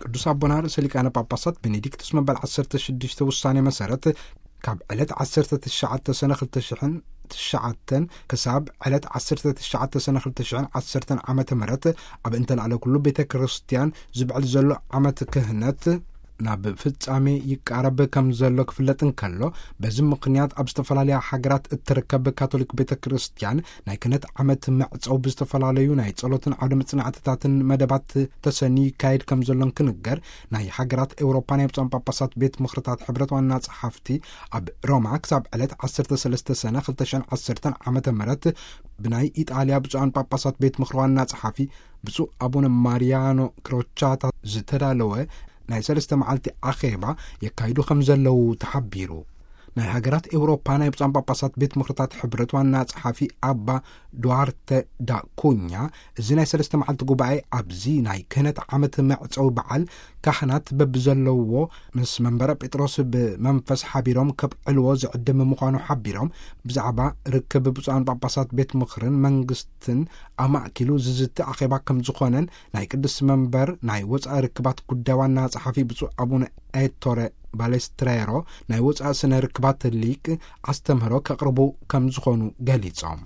ቅዱስ ኣቦና ርእሰ ሊቃነ ጳጳሳት ቤኔዲክቱስ መበል ዓሰርተ ሽዱሽተ ውሳኔ መሰረት፣ ካብ ዕለት ዓሰርተ ትሽዓተ ሰነ ክልተ ሽሕን ትሽዓተን ክሳብ ዕለት ዓሰርተ ትሽዓተ ሰነ ክልተ ሽሕን ዓሰርተን ዓመተ ምህረት፣ ኣብ እንተላዕለ ኩሉ ቤተ ክርስቲያን ዝብዕል ዘሎ ዓመት ክህነት ናብ ፍጻሜ ይቃረብ ከም ዘሎ ክፍለጥ እንከሎ፣ በዚ ምኽንያት ኣብ ዝተፈላለያ ሃገራት እትርከብ ካቶሊክ ቤተ ክርስቲያን ናይ ክህነት ዓመት መዕጸው ብዝተፈላለዩ ናይ ጸሎትን ዓውደ መጽናዕትታትን መደባት ተሰንዩ ይካየድ ከም ዘሎን ክንገር፣ ናይ ሃገራት ኤውሮፓ ናይ ብፁዓን ጳጳሳት ቤት ምኽርታት ሕብረት ዋና ጸሓፍቲ ኣብ ሮማ ክሳብ ዕለት ዓሰርተ ሰለስተ ሰነ ክልተ ሽሕን ዓሰርተን ዓመተ ምህረት ብናይ ኢጣልያ ብፁዓን ጳጳሳት ቤት ምኽሪ ዋና ጸሓፊ ብፁዕ ኣቡነ ማሪያኖ ክሮቻታ ዝተዳለወ ናይ ሰለስተ መዓልቲ ኣኼባ የካይዱ ከም ዘለዉ ተሓቢሩ። ናይ ሃገራት ኤውሮፓ ናይ ብፁዓን ጳጳሳት ቤት ምኽርታት ሕብረት ዋና ጸሓፊ ኣባ ዱዋርተ ዳ ኩኛ፣ እዚ ናይ ሰለስተ መዓልቲ ጉባኤ ኣብዚ ናይ ክህነት ዓመት መዕጸዊ በዓል ካህናት በብዘለውዎ ምስ መንበረ ጴጥሮስ ብመንፈስ ሓቢሮም ከብዕልዎ ዝዕድም ምዃኑ ሓቢሮም፣ ብዛዕባ ርክብ ብፁዓን ጳጳሳት ቤት ምኽርን መንግስትን ኣማእኪሉ ዝዝቲ ኣኼባ ከም ዝኾነን ናይ ቅድስቲ መንበር ናይ ወጻኢ ርክባት ጉዳይ ዋና ጸሓፊ ብፁዕ ኣቡነ ኤቶረ ባሌስትሬሮ ናይ ወጻኢ ስነ ርክባት ሊቅ ኣስተምህሮ ከቕርቡ ከም ዝኾኑ ገሊጾም።